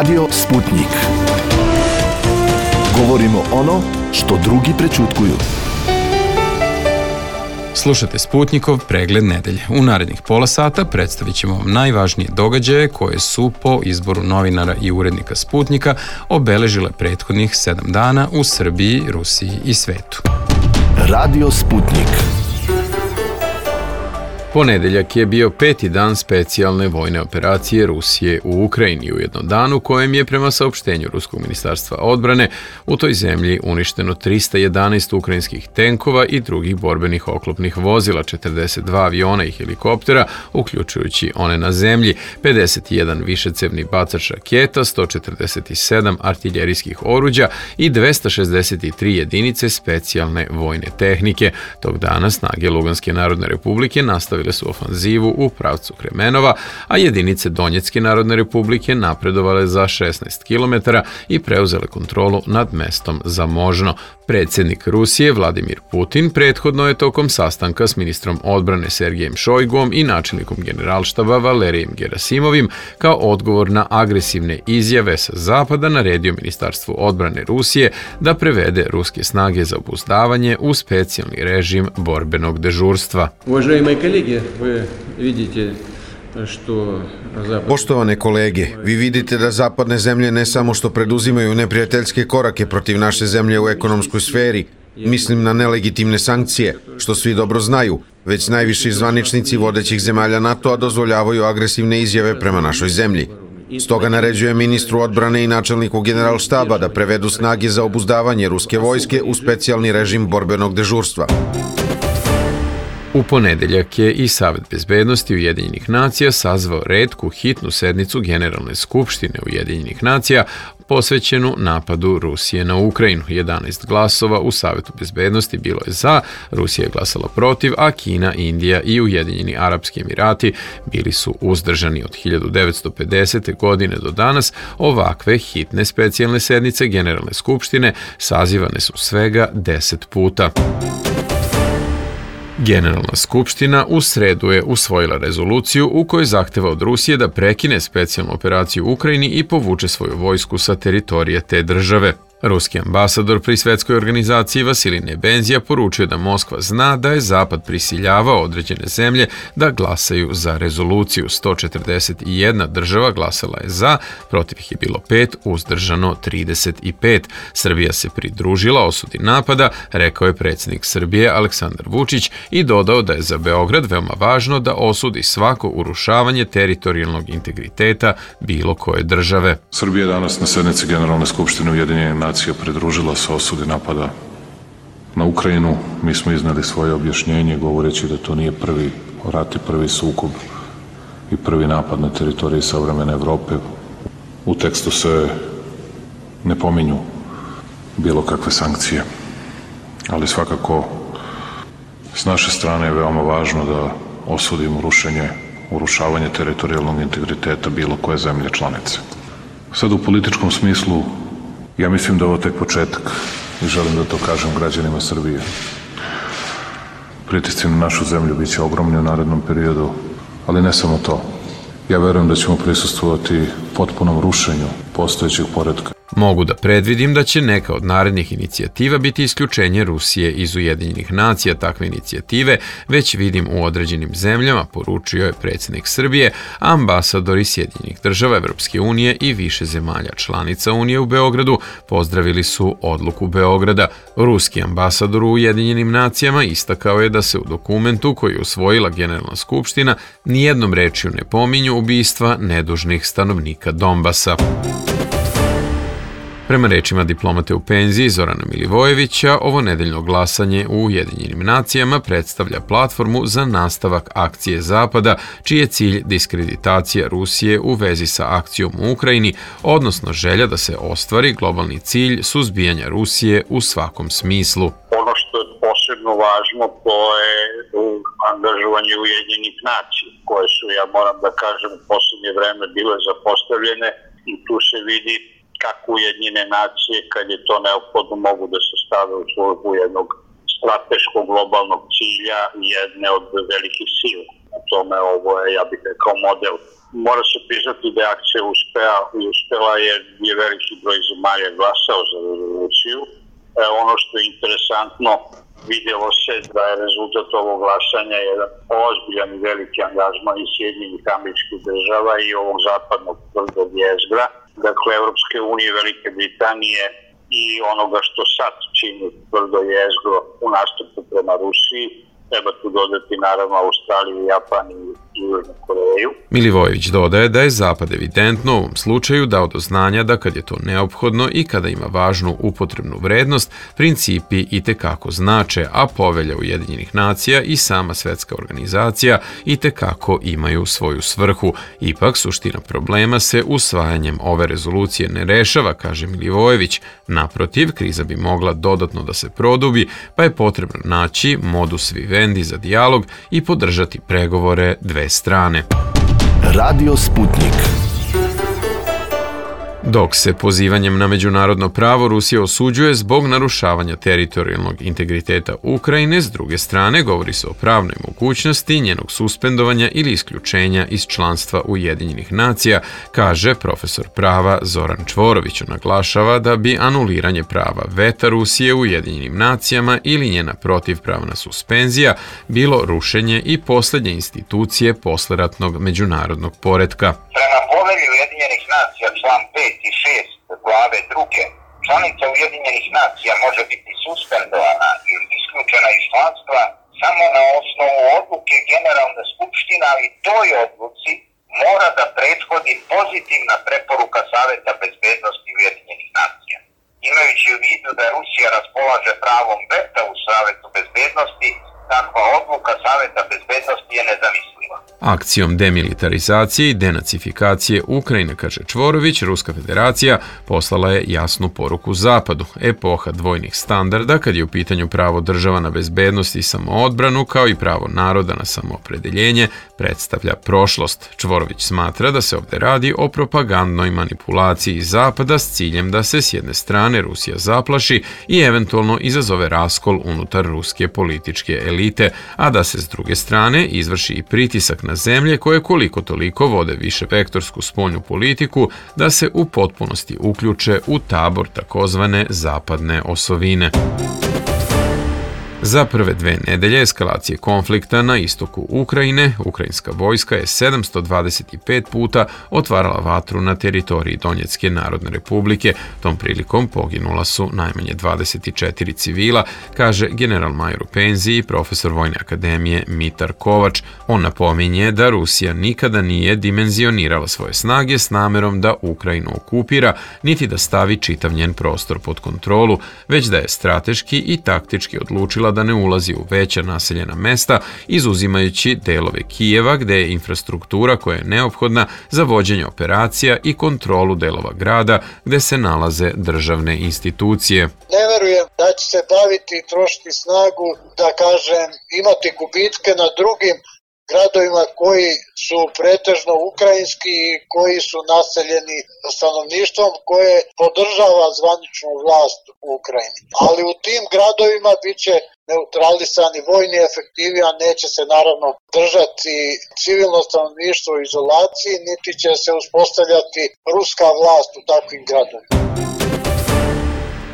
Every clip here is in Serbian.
Radio Sputnik. Govorimo ono što drugi prećutkuju. Slušate Sputnikov pregled nedelje. U narednih pola sata predstavit ćemo vam najvažnije događaje koje su po izboru novinara i urednika Sputnika obeležile prethodnih 7 dana u Srbiji, Rusiji i svetu. Radio Sputnik. Ponedeljak je bio 5. dan specijalne vojne operacije Rusije u Ukrajini, ujedno dan u kojem je prema saopštenju Ruskog ministarstva odbrane u toj zemlji uništeno 311 ukrajinskih tenkova i drugih borbenih oklopnih vozila, 42 aviona i helikoptera, uključujući one na zemlji, 51 višecevni bacač raketa, 147 artiljerijskih oruđa i 263 jedinice specijalne vojne tehnike. Tog dana snage Luganske narodne republike nastavile su ofanzivu u pravcu Kremenova, a jedinice Donjetske narodne republike napredovale za 16 km i preuzele kontrolu nad mestom Zamožno. Predsjednik Rusije Vladimir Putin prethodno je tokom sastanka s ministrom odbrane Sergejem Šojgom i načelnikom generalštaba Valerijem Gerasimovim kao odgovor na agresivne izjave sa zapada naredio Ministarstvu odbrane Rusije da prevede ruske snage za obuzdavanje u specijalni režim borbenog dežurstva. Poštovane kolege, vi vidite da zapadne zemlje ne samo što preduzimaju neprijateljske korake protiv naše zemlje u ekonomskoj sferi, mislim na nelegitimne sankcije, što svi dobro znaju, već najviši zvaničnici vodećih zemalja NATO-a dozvoljavaju agresivne izjave prema našoj zemlji. Stoga naređuje ministru odbrane i načelniku generalštaba da prevedu snage za obuzdavanje ruske vojske u specijalni režim borbenog dežurstva. U ponedeljak je i Savet bezbednosti Ujedinjenih nacija sazvao retku hitnu sednicu Generalne skupštine Ujedinjenih nacija posvećenu napadu Rusije na Ukrajinu. 11 glasova u Savetu bezbednosti bilo je za, Rusija je glasala protiv, a Kina, Indija i Ujedinjeni Arapski Emirati bili su uzdržani. Od 1950. godine do danas ovakve hitne specijalne sednice Generalne skupštine sazivane su svega 10 puta. Generalna skupština u sredu je usvojila rezoluciju u kojoj zahteva od Rusije da prekine specijalnu operaciju u Ukrajini i povuče svoju vojsku sa teritorija te države. Ruski ambasador pri Svetskoj organizaciji Vasilij Nebenzija poručio da Moskva zna da je Zapad prisiljavao određene zemlje da glasaju za rezoluciju. 141 država glasala je za, protiv ih je bilo 5, uzdržano 35. Srbija se pridružila osudi napada, rekao je predsjednik Srbije Aleksandar Vučić i dodao da je za Beograd veoma važno da osudi svako urušavanje teritorijalnog integriteta bilo koje države. Srbija danas na sednici Generalne skupštine Ujedinjenih nacija pridružila se osudi napada na Ukrajinu. Mi smo izneli svoje objašnjenje govoreći da to nije prvi rat i prvi sukob i prvi napad na teritoriji savremene Evrope. U tekstu se ne pominju bilo kakve sankcije, ali svakako s naše strane je veoma važno da osudimo urušavanje teritorijalnog integriteta bilo koje zemlje članice. Sad u političkom smislu ja mislim da je ovo tek početak i želim da to kažem građanima Srbije. Pritisci na našu zemlju bit će ogromni u narednom periodu, ali ne samo to. Ja verujem da ćemo prisustvovati potpunom rušenju postojećeg poretka. Mogu da predvidim da će neka od narednih inicijativa biti isključenje Rusije iz Ujedinjenih nacija. Takve inicijative već vidim u određenim zemljama, poručio je predsjednik Srbije, a ambasadori Sjedinjenih država, Evropske unije i više zemalja članica Unije u Beogradu pozdravili su odluku Beograda. Ruski ambasador u Ujedinjenim nacijama istakao je da se u dokumentu koji je usvojila Generalna skupština nijednom rečju ne pominju ubistva nedužnih stanovnika Donbasa. Prema rečima diplomate u penziji Zorana Milivojevića, ovo nedeljno glasanje u Ujedinjenim nacijama predstavlja platformu za nastavak akcije Zapada, čiji je cilj diskreditacija Rusije u vezi sa akcijom u Ukrajini, odnosno želja da se ostvari globalni cilj suzbijanja Rusije u svakom smislu. Ono što je posebno važno, to je angažovanje Ujedinjenih nacija, koje su, ja moram da kažem, u poslednje vreme bile zapostavljene i tu se vidi kako Ujedinjene nacije, kad je to neophodno, mogu da se stave u službu jednog strateškog globalnog cilja jedne od velikih sila. u tome ovo je, ja bih rekao, model. Mora se priznati da je akcija uspela jer je veliki broj zemalja glasao za rezoluciju. Ono što je interesantno, vidjelo se da je rezultat ovog glasanja jedan ozbiljan i veliki angažman i Sjedinjenih Američkih Država i ovog zapadnog tvrdog jezgra, dakle Evropske unije, Velike Britanije i onoga što sad čini tvrdo jezgro u nastupu prema Rusiji. Treba tu dodati naravno Australiju, Japan i Južnu Koreju. Milivojević dodaje da je Zapad evidentno u ovom slučaju dao do znanja da kad je to neophodno i kada ima važnu upotrebnu vrednost, principi itekako znače, a Povelja Ujedinjenih nacija i sama svetska organizacija itekako imaju svoju svrhu. Ipak, suština problema se usvajanjem ove rezolucije ne rešava, kaže Milivojević. Naprotiv, kriza bi mogla dodatno da se produbi, pa je potrebno naći modus vivendi za dijalog i podržati pregovore dve strane. Radio Sputnik. Dok se pozivanjem na međunarodno pravo Rusija osuđuje zbog narušavanja teritorijalnog integriteta Ukrajine, s druge strane govori se o pravnoj mogućnosti njenog suspendovanja ili isključenja iz članstva Ujedinjenih nacija, kaže profesor prava Zoran Čvorović. Naglašava da bi anuliranje prava veta Rusije u Ujedinjenim nacijama ili njena protivpravna suspenzija bilo rušenje i posljednje institucije posleratnog međunarodnog poretka. Prema Povelji Ujedinjenih nacija, član 5 i 6 glave 2, članica Ujedinjenih nacija može biti suspendovana ili isključena iz članstva samo na osnovu odluke Generalne skupštine, ali toj odluci mora da prethodi pozitivna preporuka Saveta bezbednosti Ujedinjenih nacija. Imajući u vidu da Rusija raspolaže pravom veta u Savetu bezbednosti, takva odluka Saveta bezbednosti je nezamisliva. Akcijom demilitarizacije i denacifikacije Ukrajine, kaže Čvorović, Ruska federacija poslala je jasnu poruku Zapadu. Epoha dvojnih standarda, kad je u pitanju pravo država na bezbednost i samoodbranu, kao i pravo naroda na samoopredeljenje, predstavlja prošlost. Čvorović smatra da se ovdje radi o propagandnoj manipulaciji Zapada s ciljem da se s jedne strane Rusija zaplaši i eventualno izazove raskol unutar ruske političke elite, a da se s druge strane izvrši i pritisak na zemlje koje koliko toliko vode više vektorsku spoljnu politiku da se u potpunosti uključe u tabor takozvane zapadne osovine. Za prve 2 nedelje eskalacije konflikta na istoku Ukrajine, ukrajinska vojska je 725 puta otvarala vatru na teritoriji Donjecke Narodne Republike. Tom prilikom poginula su najmanje 24 civila, kaže general-major u penziji i profesor Vojne akademije Mitar Kovač. On napominje da Rusija nikada nije dimenzionirala svoje snage s namerom da Ukrajinu okupira, niti da stavi čitav njen prostor pod kontrolu, već da je strateški i taktički odlučila da ne ulazi u veća naseljena mesta, izuzimajući delove Kijeva gde je infrastruktura koja je neophodna za vođenje operacija i kontrolu delova grada gde se nalaze državne institucije. Ne verujem da će se baviti i trošiti snagu, da kažem, imati gubitke na drugim gradovima koji su pretežno ukrajinski i koji su naseljeni stanovništvom koje podržava zvaničnu vlast u Ukrajini. Ali u tim gradovima bit će neutralisani vojni efektivi, a neće se naravno držati civilno stanovništvo u izolaciji, niti će se uspostavljati ruska vlast u takvim gradovima.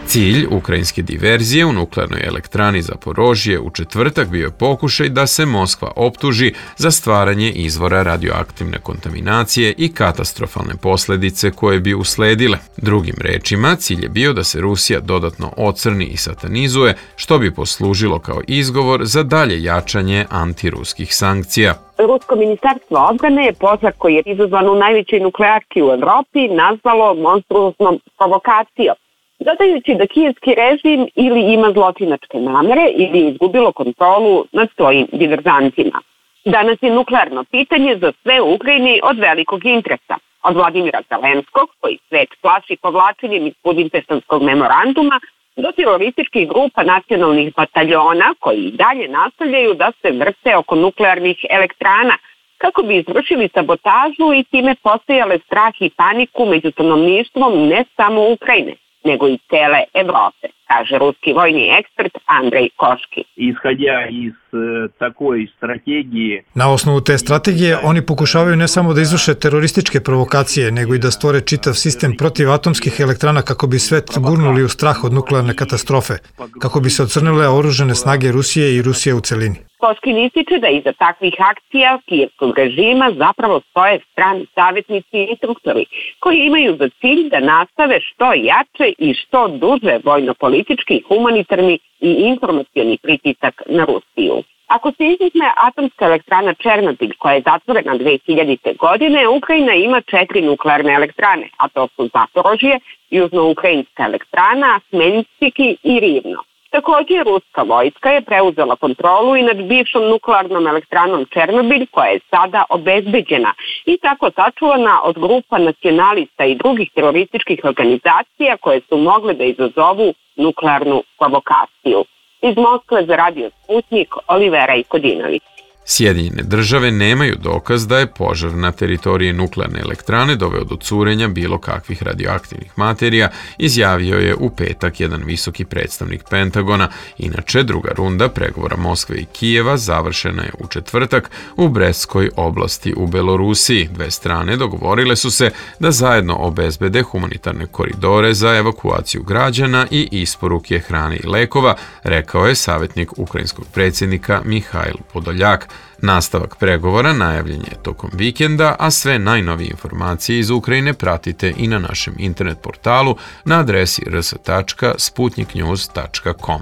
Cilj ukrajinske diverzije u nuklearnoj elektrani Zaporožje u četvrtak bio je pokušaj da se Moskva optuži za stvaranje izvora radioaktivne kontaminacije i katastrofalne posljedice koje bi usledile. Drugim rečima, cilj je bio da se Rusija dodatno ocrni i satanizuje, što bi poslužilo kao izgovor za dalje jačanje antiruskih sankcija. Rusko ministarstvo odbrane je požar koji je izazvan u najvećoj nuklearki u Evropi nazvalo monstruoznom provokacijom, dodajući da kijevski režim ili ima zločinačke namere ili je izgubilo kontrolu nad svojim diverzantima. Danas je nuklearno pitanje za sve u Ukrajini od velikog interesa. Od Vladimira Zelenskog, koji svet plaši povlačenjem iz Budimpeštanskog memoranduma, do terorističkih grupa nacionalnih bataljona koji i dalje nastavljaju da se vrte oko nuklearnih elektrana kako bi izvršili sabotažu i time posejale strah i paniku među stanovništvom ne samo Ukrajine, nego i cele Evrope, kaže ruski vojni ekspert Andrej Koški. Ishodja iz takoj strategije. Na osnovu te strategije oni pokušavaju ne samo da izvrše terorističke provokacije, nego i da stvore čitav sistem protiv atomskih elektrana kako bi svet gurnuli u strah od nuklearne katastrofe, kako bi se ocrnile oružane snage Rusije i Rusije u celini. Koškin ističe da iza takvih akcija kijevskog režima zapravo stoje strani savjetnici i instruktori, koji imaju za cilj da nastave što jače i što duže vojno-politički, humanitarni i informacioni pritisak na Rusiju. Ako se izuzme atomska elektrana Černobil, koja je zatvorena 2000. godine, Ukrajina ima 4 nuklearne elektrane, a to su Zaporožje, južno-ukrajinska elektrana, Smenjski i Rivno. Također, ruska vojska je preuzela kontrolu i nad bivšom nuklearnom elektranom Černobil, koja je sada obezbeđena i tako sačuvana od grupa nacionalista i drugih terorističkih organizacija koje su mogle da izazovu nuklearnu provokaciju. Iz Moskve za Radio Sputnik, Olivera Ikodinović. Sjedinjene države nemaju dokaz da je požar na teritoriji nuklearne elektrane doveo do curenja bilo kakvih radioaktivnih materija, izjavio je u petak jedan visoki predstavnik Pentagona. Inače, druga runda pregovora Moskve i Kijeva završena je u četvrtak u Brestskoj oblasti u Belorusiji. Dve strane dogovorile su se da zajedno obezbede humanitarne koridore za evakuaciju građana i isporuke hrane i lekova, rekao je savjetnik ukrajinskog predsjednika Mihajl Podoljak. Nastavak pregovora najavljen je tokom vikenda, a sve najnovije informacije iz Ukrajine pratite i na našem internet portalu na adresi rs.sputniknews.com.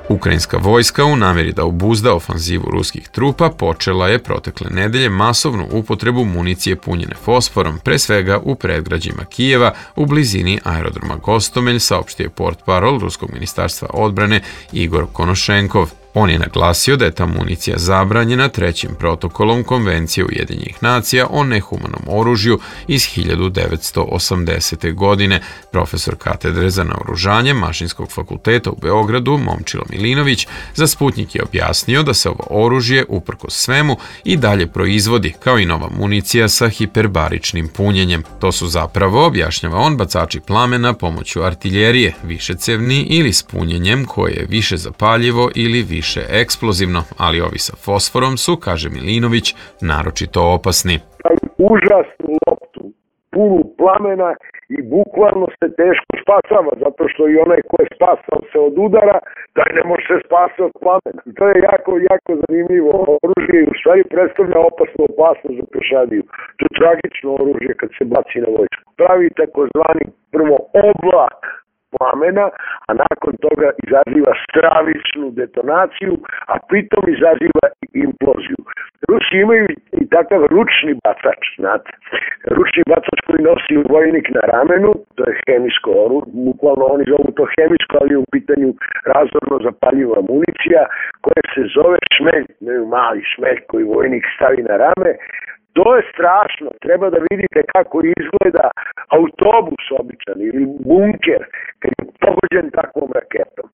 Ukrajinska vojska u namjeri da obuzda ofanzivu ruskih trupa počela je protekle nedelje masovnu upotrebu municije punjene fosforom, pre svega u predgrađima Kijeva u blizini aerodroma Gostomelj, saopštio je portparol Ruskog ministarstva odbrane Igor Konošenkov. On je naglasio da je ta municija zabranjena trećim protokolom Konvencije Ujedinjenih nacija o nehumanom oružju iz 1980. godine. Profesor katedre za naoružanje Mašinskog fakulteta u Beogradu, Momčilo Milinović, za Sputnik je objasnio da se ovo oružje, uprkos svemu, i dalje proizvodi, kao i nova municija sa hiperbaričnim punjenjem. To su zapravo, objašnjava on, bacači plamena pomoću artiljerije, višecevni ili s punjenjem koje je više zapaljivo ili više eksplozivno, ali ovi sa fosforom su, kaže Milinović, naročito opasni. Užasnu loptu, punu plamena i bukvalno se teško spasava, zato što i onaj ko je spasao se od udara, taj ne može se spasati od plamena. To je jako zanimljivo oružje i u stvari predstavlja opasnu opasnost za pešadiju. To je tragično oružje kad se baci na vojsku. Pravi takozvani prvo oblak plamena, a nakon toga izaziva stravičnu detonaciju, a pritom izaziva i imploziju. Rusi imaju i takav ručni bacač, znate. Ručni bacač koji nosi vojnik na ramenu, to je hemijsko oružje, bukvalno oni zovu to hemijsko, ali je u pitanju razorno zapaljiva municija, koja se zove šmelj, mali šmelj koji vojnik stavi na rame. To je strašno, treba da vidite kako izgleda autobus običan ili bunker kad je pogođen takvom raketom.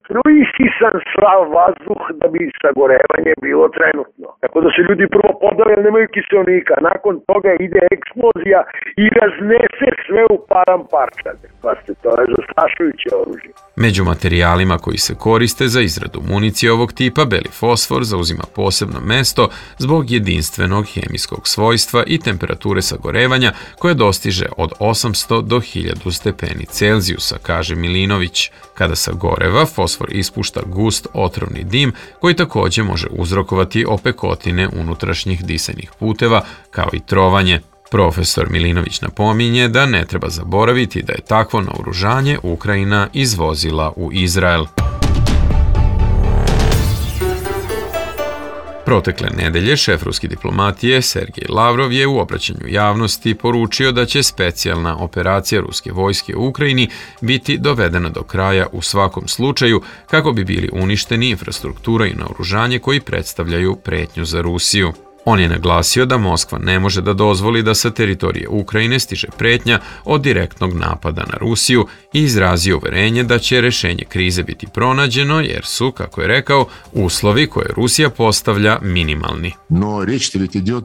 Isisan sav vazduh da bi sagorevanje bilo trenutno. Tako da se ljudi prvo podave, ali nemaju kiselnika. Nakon toga ide eksplozija i raznese sve u param parčade. Pazite, to je zastrašujuće oružje. Među materijalima koji se koriste za izradu municije ovog tipa, beli fosfor zauzima posebno mesto zbog jedinstvenog hemijskog svojstva i temperature sagorevanja koje dostiže od 800 do 1000 stepeni Celzijusa, kaže Milinović. Kada sagoreva, fosfor ispušta gust otrovni dim koji također može uzrokovati opekotine unutrašnjih disajnih puteva kao i trovanje. Profesor Milinović napominje da ne treba zaboraviti da je takvo naoružanje Ukrajina izvozila u Izrael. Protekle nedelje šef ruske diplomatije Sergej Lavrov je u obraćanju javnosti poručio da će specijalna operacija ruske vojske u Ukrajini biti dovedena do kraja u svakom slučaju kako bi bili uništeni infrastruktura i naoružanje koji predstavljaju pretnju za Rusiju. On je naglasio da Moskva ne može da dozvoli da sa teritorije Ukrajine stiže pretnja od direktnog napada na Rusiju i izrazio uverenje da će rešenje krize biti pronađeno jer su, kako je rekao, uslovi koje Rusija postavlja minimalni.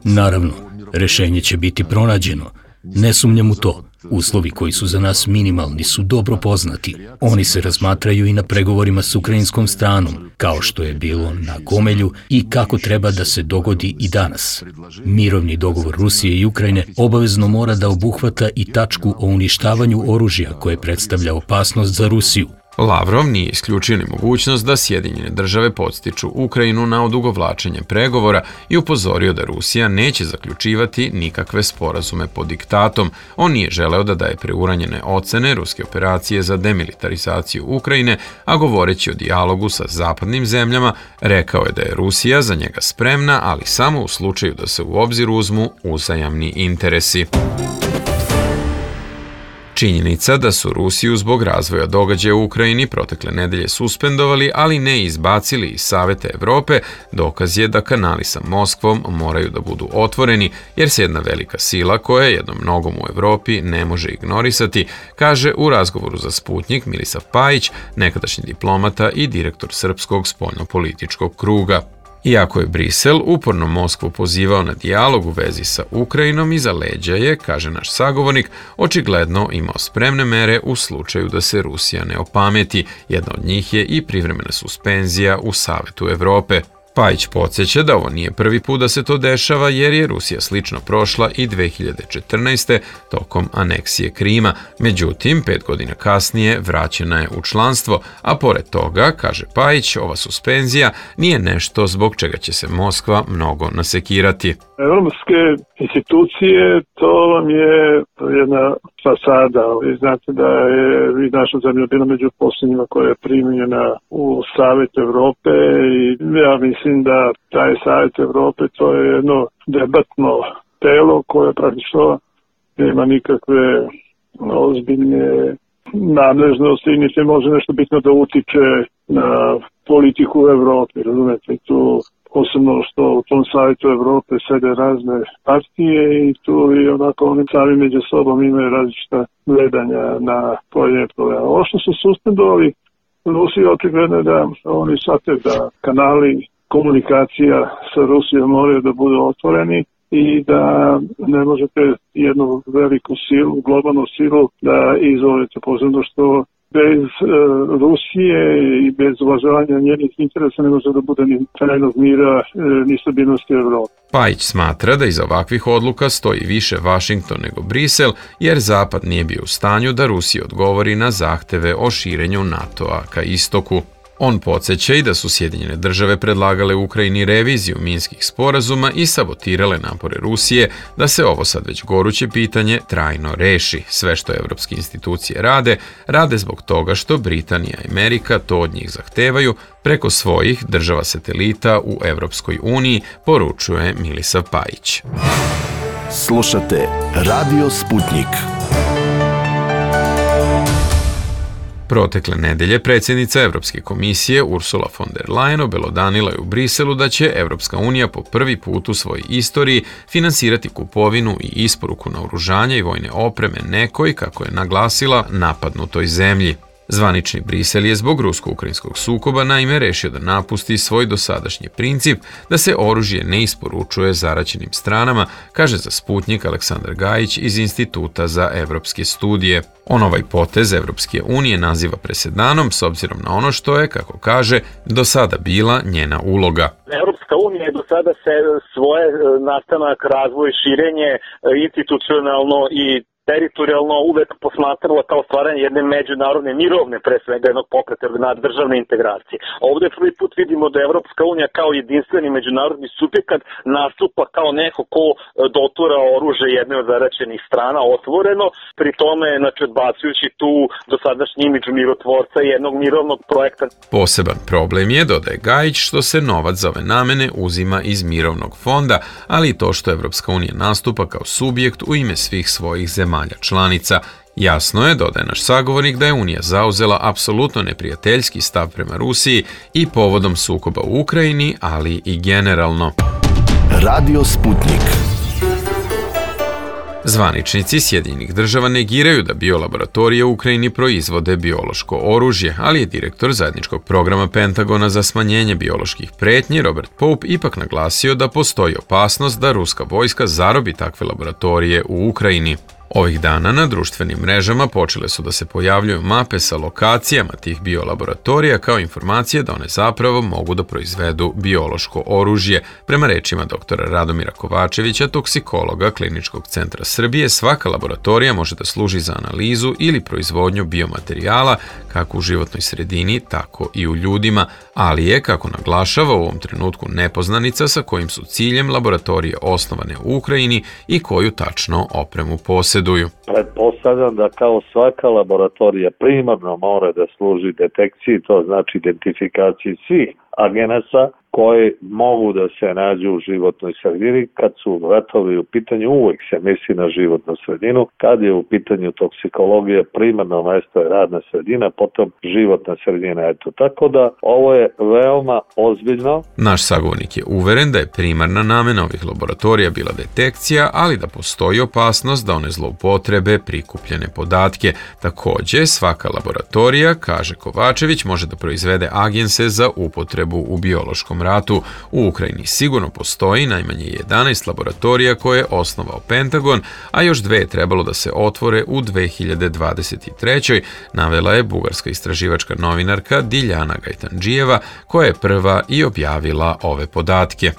Naravno, rešenje će biti pronađeno. Ne sumnjam u to. Uslovi koji su za nas minimalni su dobro poznati. Oni se razmatraju i na pregovorima s ukrajinskom stranom, kao što je bilo na Gomelju i kako treba da se dogodi i danas. Mirovni dogovor Rusije i Ukrajine obavezno mora da obuhvata i tačku o uništavanju oružja koje predstavlja opasnost za Rusiju. Lavrov nije isključio ni mogućnost da Sjedinjene države podstiču Ukrajinu na odugovlačenje pregovora i upozorio da Rusija neće zaključivati nikakve sporazume pod diktatom. On nije želeo da daje preuranjene ocene ruske operacije za demilitarizaciju Ukrajine, a govoreći o dijalogu sa zapadnim zemljama, rekao je da je Rusija za njega spremna, ali samo u slučaju da se u obzir uzmu uzajamni interesi. Činjenica da su Rusiju zbog razvoja događaja u Ukrajini protekle nedelje suspendovali, ali ne izbacili iz Saveta Evrope, dokaz je da kanali sa Moskvom moraju da budu otvoreni, jer se jedna velika sila koja je jednom nogom u Evropi ne može ignorisati, kaže u razgovoru za Sputnjik Milisav Pajić, nekadašnji diplomata i direktor Srpskog spoljnopolitičkog kruga. Iako je Brisel uporno Moskvu pozivao na dijalog u vezi sa Ukrajinom, iza leđa je, kaže naš sagovornik, očigledno imao spremne mere u slučaju da se Rusija ne opameti. Jedna od njih je i privremena suspenzija u Savetu Evrope. Pajić podsjeća da ovo nije prvi put da se to dešava, jer je Rusija slično prošla i 2014. tokom aneksije Krima. Međutim, 5 godina kasnije vraćena je u članstvo, a pored toga, kaže Pajić, ova suspenzija nije nešto zbog čega će se Moskva mnogo nasekirati. Evropske institucije, to vam je jedna fasada. Vi znate da je naša zemlja bila među posljednjima koja je primljena u Savet Evrope i ja mislim da taj Savet Evrope to je jedno debatno telo koje praktično nema nikakve ozbiljne nadležnosti i niti može nešto bitno da utiče na politiku u Evropi. Razumete, tu posebno što u tom Savjetu Evrope sede razne partije i tu i onako oni sami među sobom imaju različita gledanja na pojedine probleme. Ovo što su suspendovali Rusiji, očigledno je da oni shvate da kanali komunikacija sa Rusijom moraju da budu otvoreni i da ne možete jednu veliku silu, globalnu silu da izvolite, posebno što bez Rusije i bez uvažavanja njenih interesa ne može da bude ni trajnog mira ni stabilnosti Evrope. Pajić smatra da iza ovakvih odluka stoji više Vašington nego Brisel, jer Zapad nije bio u stanju da Rusiji odgovori na zahteve o širenju NATO-a ka istoku. On podsjeća i da su Sjedinjene države predlagale Ukrajini reviziju minskih sporazuma i sabotirale napore Rusije da se ovo sad već goruće pitanje trajno reši. Sve što evropske institucije rade zbog toga što Britanija i Amerika to od njih zahtevaju preko svojih država satelita u Evropskoj uniji, poručuje Milisav Pajić. Slušate Radio Sputnjik. Protekle nedelje predsjednica Evropske komisije Ursula von der Leyen obelodanila je u Briselu da će Evropska unija po prvi put u svojoj istoriji finansirati kupovinu i isporuku naoružanja i vojne opreme nekoj, kako je naglasila, napadnutoj zemlji. Zvanični Brisel je zbog rusko-ukrajinskog sukoba naime rešio da napusti svoj dosadašnji princip da se oružje ne isporučuje zaraćenim stranama, kaže za Sputnjik Aleksandar Gajić iz Instituta za evropske studije. On ovaj potez Evropske unije naziva presedanom s obzirom na ono što je, kako kaže, do sada bila njena uloga. Evropska unija je do sada se svoje nastanak, razvoj, širenje institucionalno i teritorijalno uvek posmatrala kao stvaranje jedne međunarodne mirovne, pre svega jednog pokreta državne integracije. Ovde prvi put vidimo da Evropska unija kao jedinstveni međunarodni subjekat nastupa kao neko ko dotura oružje jedne od zaraćenih strana otvoreno, pri tome odbacujući tu dosadašnji imidž mirotvorca i jednog mirovnog projekta. Poseban problem je, dodaje Gajić, što se novac za ove namene uzima iz mirovnog fonda, ali i to što Evropska unija nastupa kao subjekt u ime svih svojih zemalja članica. Jasno je, dodaje naš sagovornik, da je Unija zauzela apsolutno neprijateljski stav prema Rusiji i povodom sukoba u Ukrajini, ali i generalno. Radio Sputnjik. Zvaničnici Sjedinjenih država negiraju da biolaboratorije u Ukrajini proizvode biološko oružje, ali je direktor zajedničkog programa Pentagona za smanjenje bioloških pretnji Robert Pope ipak naglasio da postoji opasnost da ruska vojska zarobi takve laboratorije u Ukrajini. Ovih dana na društvenim mrežama počele su da se pojavljuju mape sa lokacijama tih biolaboratorija kao informacije da one zapravo mogu da proizvedu biološko oružje. Prema rečima doktora Radomira Kovačevića, toksikologa Kliničkog centra Srbije, svaka laboratorija može da služi za analizu ili proizvodnju biomaterijala kako u životnoj sredini, tako i u ljudima, ali je, kako naglašava, u ovom trenutku nepoznanica sa kojim su ciljem laboratorije osnovane u Ukrajini i koju tačno opremu posjeduju. Pretpostavljam da kao svaka laboratorija primarno mora da služi detekciji, to znači identifikaciji svih agenasa koji mogu da se nađu u životnoj sredini. Kad su ratovi u pitanju, uvek se misli na životnu sredinu. Kad je u pitanju toksikologija, primarno mesto je radna sredina, potom životna sredina. Tako da ovo je veoma ozbiljno. Naš sagovornik je uveren da je primarna namena ovih laboratorija bila detekcija, ali da postoji opasnost da one zloupotrebe prikupljene podatke. Takođe, svaka laboratorija, kaže Kovačević, može da proizvede agense za upotrebu u biološkom ratu. U Ukrajini sigurno postoji najmanje 11 laboratorija koje je osnovao Pentagon, a još 2 je trebalo da se otvore u 2023. navela je bugarska istraživačka novinarka Diljana Gajtandžijeva, koja je prva i objavila ove podatke.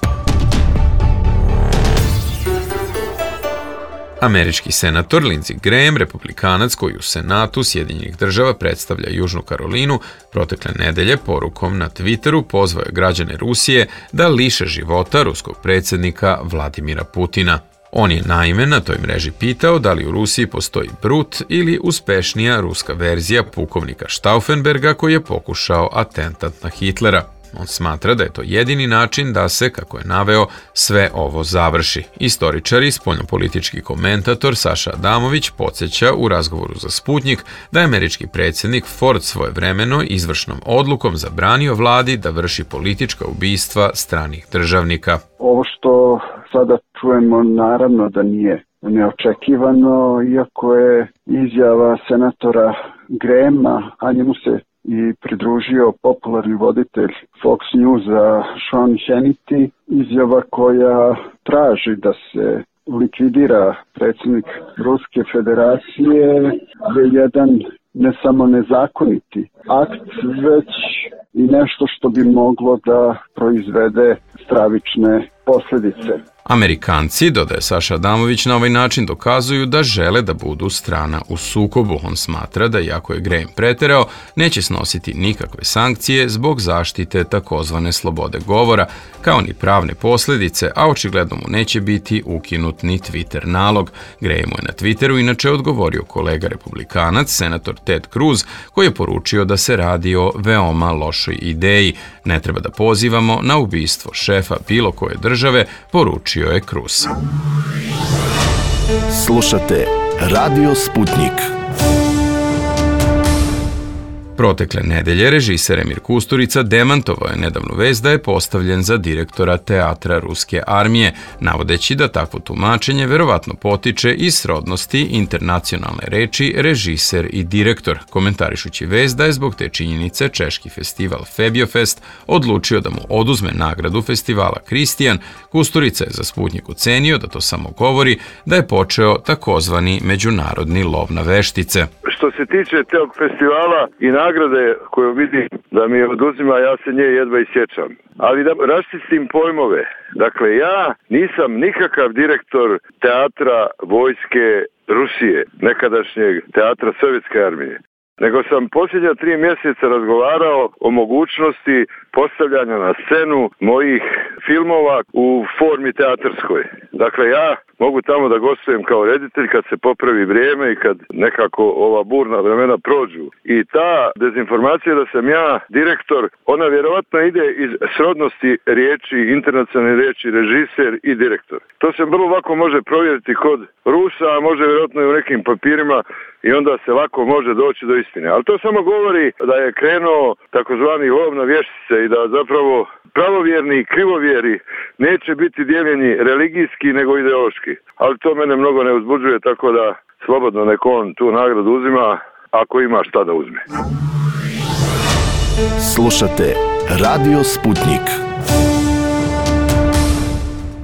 Američki senator Lindsey Graham, republikanac koji u Senatu Sjedinjenih država predstavlja Južnu Karolinu, protekle nedelje porukom na Twitteru pozvao je građane Rusije da liše života ruskog predsjednika Vladimira Putina. On je naime na toj mreži pitao da li u Rusiji postoji Brut ili uspešnija ruska verzija pukovnika Stauffenberga koji je pokušao atentat na Hitlera. On smatra da je to jedini način da se, kako je naveo, sve ovo završi. Istoričar i spoljnopolitički komentator Saša Adamović podsjeća u razgovoru za Sputnjik da je američki predsjednik Ford svojevremeno izvršnom odlukom zabranio vladi da vrši politička ubistva stranih državnika. Ovo što sada čujemo naravno da nije neočekivano, iako je izjava senatora Grahama, a njemu se i pridružio popularni voditelj Fox Newsa Sean Hannity, izjava koja traži da se likvidira predsjednik Ruske federacije, je jedan ne samo nezakoniti akt, već i nešto što bi moglo da proizvede stravične posljedice. Amerikanci, dodaje Saša Adamović, na ovaj način dokazuju da žele da budu strana u sukobu. On smatra da, iako je Graham preterao, neće snositi nikakve sankcije zbog zaštite takozvane slobode govora, kao ni pravne posljedice, a očigledno mu neće biti ukinut ni Twitter nalog. Grahamu je na Twitteru inače odgovorio kolega republikanac, senator Ted Cruz, koji je poručio da se radi o veoma lošoj ideji. Ne treba da pozivamo na ubistvo šefa bilo koje države, poručio je Cruz. Slušate Radio Sputnik. Protekle nedelje režiser Emir Kusturica demantovao je nedavnu vest da je postavljen za direktora teatra Ruske armije, navodeći da takvo tumačenje verovatno potiče iz srodnosti internacionalne reči režiser i direktor, komentarišući vest da je zbog te činjenice češki festival Febiofest odlučio da mu oduzme nagradu festivala Kristijan. Kusturica je za Sputnjik ocenio da to samo govori da je počeo takozvani međunarodni lov na veštice. Što se tiče tog festivala i nagrade koju vidim da mi oduzima, ja se nje jedva isjećam. Ali da raščistim pojmove. Dakle, ja nisam nikakav direktor teatra vojske Rusije, nekadašnjeg teatra Sovjetske armije. Nego sam posljednja 3 mjeseca razgovarao o mogućnosti postavljanja na scenu mojih filmova u formi teatarskoj. Dakle, ja mogu tamo da gostujem kao reditelj kad se popravi vrijeme i kad nekako ova burna vremena prođu. I ta dezinformacija da sam ja direktor, ona vjerovatno ide iz srodnosti riječi, internacionalne riječi režiser i direktor. To se vrlo lako može provjeriti kod Rusa, a može vjerojatno i u nekim papirima i onda se lako može doći do istine. Ali to samo govori da je krenuo takozvani lov na vještice i da zapravo pravovjerni i krivovjeri neće biti dijeljeni religijski nego ideološki. veliki. Ali to mene mnogo ne uzbuđuje, tako da slobodno nek on tu nagradu uzima, ako ima šta da uzme. Slušate Radio Sputnik.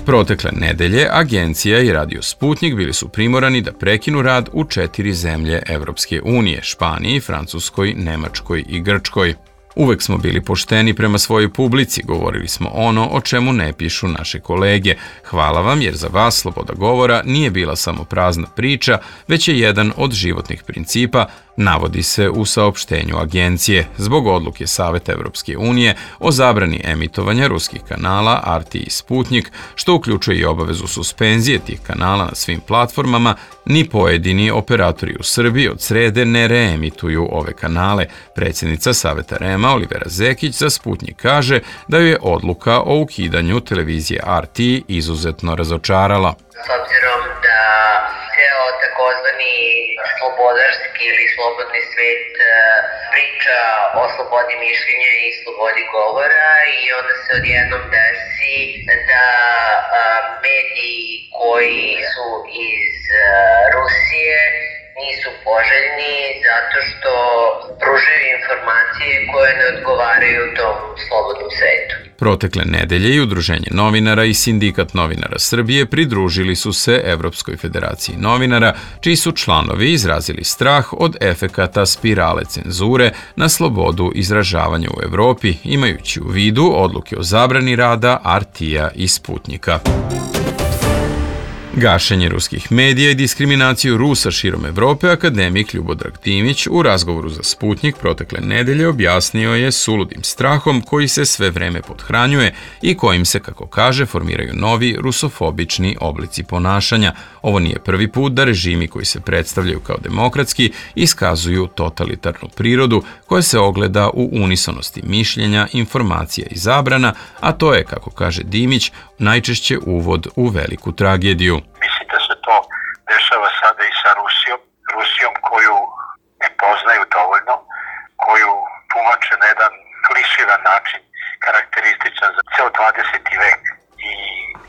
Protekle nedelje Agencija i Radio Sputnik bili su primorani da prekinu rad u 4 zemlje Evropske unije, Španiji, Francuskoj, Nemačkoj i Grčkoj. Uvek smo bili pošteni prema svojoj publici, govorili smo ono o čemu ne pišu naše kolege. Hvala vam jer za vas sloboda govora nije bila samo prazna priča, već je jedan od životnih principa, navodi se u saopštenju agencije, zbog odluke Saveta Evropske unije o zabrani emitovanja ruskih kanala RT i Sputnik, što uključuje i obavezu suspenzije tih kanala na svim platformama, ni pojedini operatori u Srbiji od srede ne reemituju ove kanale. Predsjednica Saveta REM-a Olivera Zekić za Sputnik kaže da ju je odluka o ukidanju televizije RT izuzetno razočarala. S obzirom da ceo takozvani slobodarski ili slobodni svet priča o slobodi mišljenja i slobodi govora i onda se odjednom desi da mediji koji su iz Rusije nisu poželjni zato što pružaju informacije koje ne odgovaraju tom slobodnom svetu. Protekle nedelje i Udruženje novinara i Sindikat novinara Srbije pridružili su se Evropskoj federaciji novinara, čiji su članovi izrazili strah od efekata spirale cenzure na slobodu izražavanja u Evropi, imajući u vidu odluke o zabrani rada RT-a i Sputnika. Gašenje ruskih medija i diskriminaciju Rusa širom Evrope akademik Ljubodrag Dimić u razgovoru za Sputnik protekle nedelje objasnio je suludim strahom koji se sve vreme pothranjuje i kojim se, kako kaže, formiraju novi rusofobični oblici ponašanja. Ovo nije prvi put da režimi koji se predstavljaju kao demokratski iskazuju totalitarnu prirodu koja se ogleda u unisonosti mišljenja, informacija i zabrana, a to je, kako kaže Dimić, najčešće uvod u veliku tragediju. Mislim da se to dešava sada i sa Rusijom koju ne poznaju dovoljno, koju tumače na jedan kliširan način, karakterističan za ceo 20. vek i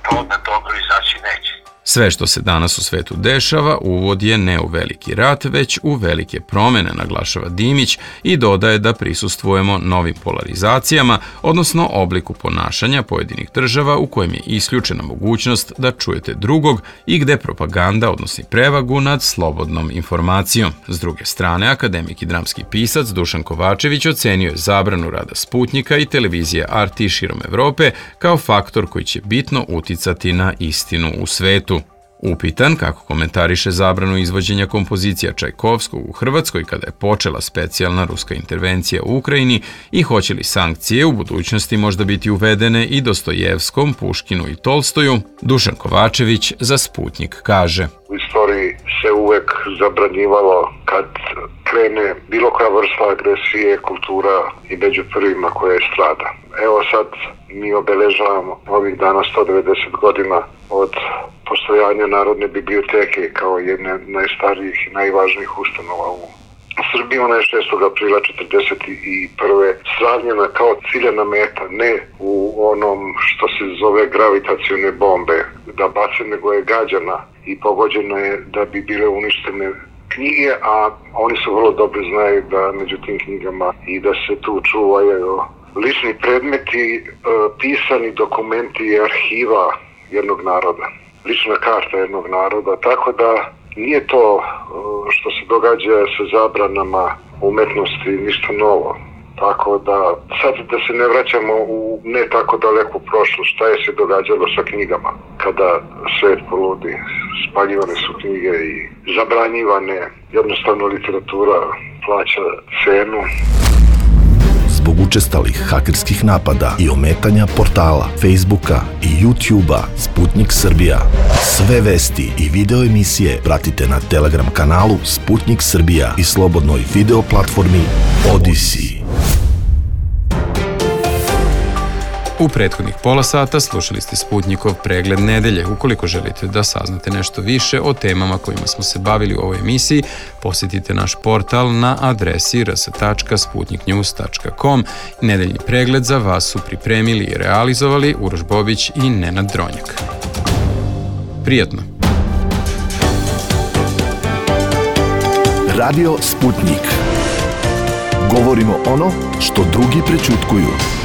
to da dobro izaći neće. Sve što se danas u svetu dešava uvod je ne u veliki rat, već u velike promene, naglašava Dimić i dodaje da prisustvujemo novim polarizacijama, odnosno obliku ponašanja pojedinih država u kojem je isključena mogućnost da čujete drugog i gde propaganda odnosi prevagu nad slobodnom informacijom. S druge strane, akademik i dramski pisac Dušan Kovačević ocenio je zabranu rada Sputnika i televizije RT širom Evrope kao faktor koji će bitno uticati na istinu u svetu. Upitan kako komentariše zabranu izvođenja kompozicija Čajkovskog u Hrvatskoj kada je počela specijalna ruska intervencija u Ukrajini i hoće li sankcije u budućnosti možda biti uvedene i Dostojevskom, Puškinu i Tolstoju, Dušan Kovačević za Sputnik kaže: U istoriji se uvek zabranjivalo kad krene bilo koja vrsta agresije, kultura i među prvima koja je strada. Evo sad mi obeležavamo ovih dana 190 godina od postojanja Narodne biblioteke kao jedne najstarijih i najvažnijih ustanova u Srbiji. Ona je 6. aprila 1941. sravnjena kao ciljana meta, ne u onom što se zove gravitacione bombe da bace, nego je gađana i pogođena je da bi bile uništene knjige, a oni su vrlo dobro znaju da među tim knjigama i da se tu čuvaju lični predmeti, pisani dokumenti i arhiva jednog naroda, lična karta jednog naroda, tako da nije to što se događa sa zabranama umetnosti ništa novo. Tako da sad da se ne vraćamo u ne tako daleku prošlost, šta je se događalo sa knjigama kada svet poludi. Spaljivane su knjige i zabranjivane, jednostavno literatura plaća cenu. Zbog učestalih hakerskih napada i ometanja portala, Facebooka i YouTubea Sputnik Srbija. Sve vesti i video emisije pratite na Telegram kanalu Sputnik Srbija i slobodnoj video platformi Odyssey. U prethodnih pola sata slušali ste Sputnikov pregled nedelje. Ukoliko želite da saznate nešto više o temama kojima smo se bavili u ovoj emisiji, posjetite naš portal na adresi rs.sputniknews.com. Nedeljni pregled za vas su pripremili i realizovali Uroš Bobić i Nenad Dronjak. Prijatno! Radio Sputnik. Govorimo ono što drugi prećutkuju.